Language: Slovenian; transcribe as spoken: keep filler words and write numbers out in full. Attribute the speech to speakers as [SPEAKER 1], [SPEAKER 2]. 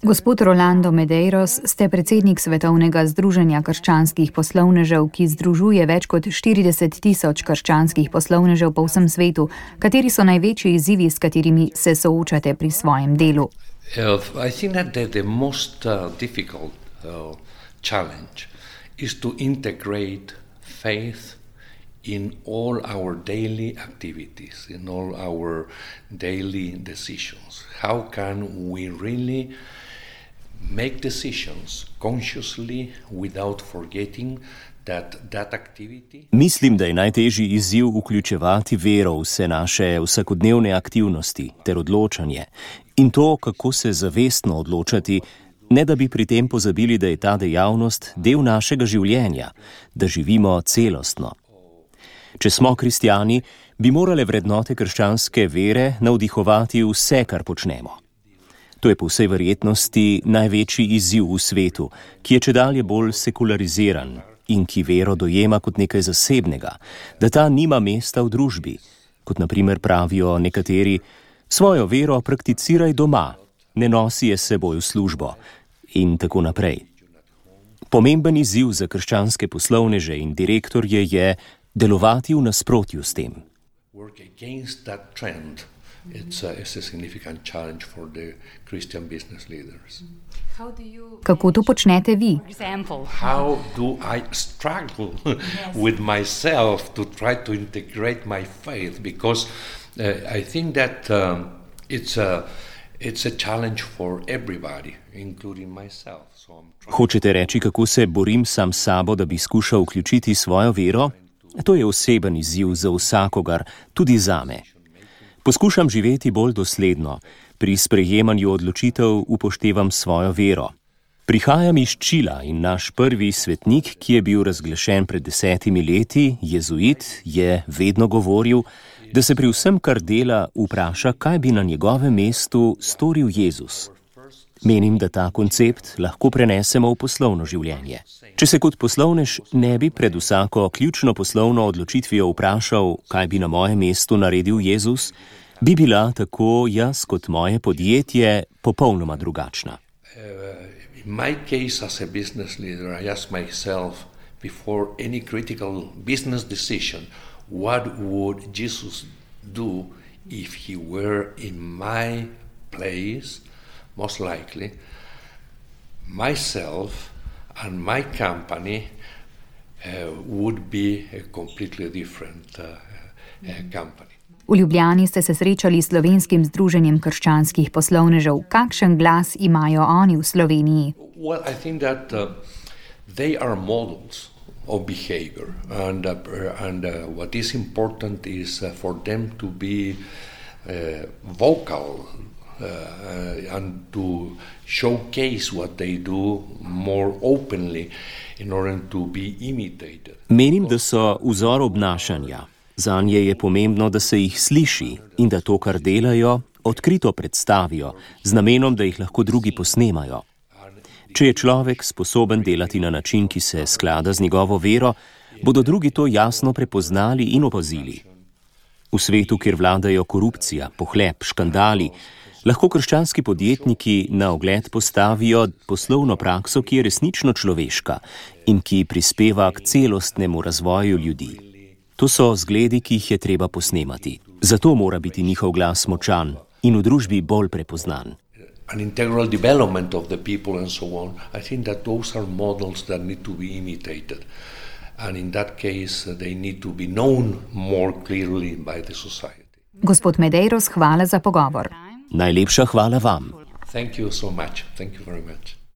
[SPEAKER 1] Gospod Rolando Medeiros, ste predsednik Svetovnega združenja krščanskih poslovnežev, ki združuje več kot štirideset tisoč krščanskih poslovnežev po vsem svetu. Kateri so največji izzivi, s katerimi se soočate pri svojem delu?
[SPEAKER 2] Uh, I think that the, the most uh, difficult uh, challenge is to integrate faith in all our daily activities, in all our daily decisions. How can we really make decisions consciously without forgetting that that activity...
[SPEAKER 3] Mislim, da je najtežji izziv vključevati vero v vse naše vsakodnevne aktivnosti ter odločanje in to, kako se zavestno odločati, ne da bi pri tem pozabili, da je ta dejavnost del našega življenja, da živimo celostno. Če smo kristjani, bi morale vrednote krščanske vere navdihovati vse, kar počnemo. To je po vsej verjetnosti največji izziv v svetu, ki je čedalje bolj sekulariziran in ki vero dojema kot nekaj zasebnega, da ta nima mesta v družbi. Kot na primer pravijo nekateri, svojo vero prakticiraj doma, ne nosi je s seboj v službo in tako naprej. Pomemben izziv za krščanske poslovneže in direktorje je delovati v nasprotju s tem.
[SPEAKER 2] Work against that trend. It's a, it's a significant challenge for the Christian business leaders.
[SPEAKER 1] Kako to počnete vi?
[SPEAKER 2] How do I struggle with myself to try to integrate my faith? Because uh, I think that um, it's a it's a challenge for everybody, including myself. So I'm trying...
[SPEAKER 3] Hočete reči, kako se borim sam s sabo, da bi skušal vključiti svojo vero? To je oseben izziv za vsakogar, tudi zame. Poskušam živeti bolj dosledno, pri sprejemanju odločitev upoštevam svojo vero. Prihajam iz Čila in naš prvi svetnik, ki je bil razglašen pred desetimi leti, jezuit, je vedno govoril, da se pri vsem, kar dela, vpraša, kaj bi na njegovem mestu storil Jezus. Menim, da ta koncept lahko prenesemo v poslovno življenje. Če se kot poslovnež ne bi pred vsako ključno poslovno odločitvijo vprašal, kaj bi na mojem mestu naredil Jezus, bi bila tako jaz kot moje podjetje popolnoma drugačna.
[SPEAKER 2] Uh, in my case as a business leader, I ask myself before any critical business decision, what would Jesus do if he were in my place? Most likely, myself and my company uh, would be a completely different uh, uh, company.
[SPEAKER 1] V Ljubljani ste se srečali s Slovenskim združenjem krščanskih poslovnežev. Kakšen glas imajo oni v Sloveniji?
[SPEAKER 2] Well, I think that uh, they are models of behavior, and uh, and uh, what is important is uh, for them to be uh, vocal. Uh, and to showcase what they do more openly in order to be imitated.
[SPEAKER 3] Menim, da so vzor obnašanja. Zanje je pomembno, da se jih sliši in da to, kar delajo, odkrito predstavijo, z namenom, da jih lahko drugi posnemajo. Če je človek sposoben delati na način, ki se sklada z njegovo vero, bodo drugi to jasno prepoznali in opazili. V svetu, kjer vladajo korupcija, pohlep, škandali, lahko krščanski podjetniki na ogled postavijo poslovno prakso, ki je resnično človeška in ki prispeva k celostnemu razvoju ljudi. To so zgledi, ki jih je treba posnemati. Zato mora biti njihov glas močan in v družbi bolj prepoznan.
[SPEAKER 2] An integral development of the people and so on. I think that those are models that need to be imitated. And in that case, they need to be known more clearly by the society.
[SPEAKER 1] Gospod Medeiros, hvala za pogovor.
[SPEAKER 3] Najlepša hvala vam.
[SPEAKER 2] Thank you so much. Thank you very much.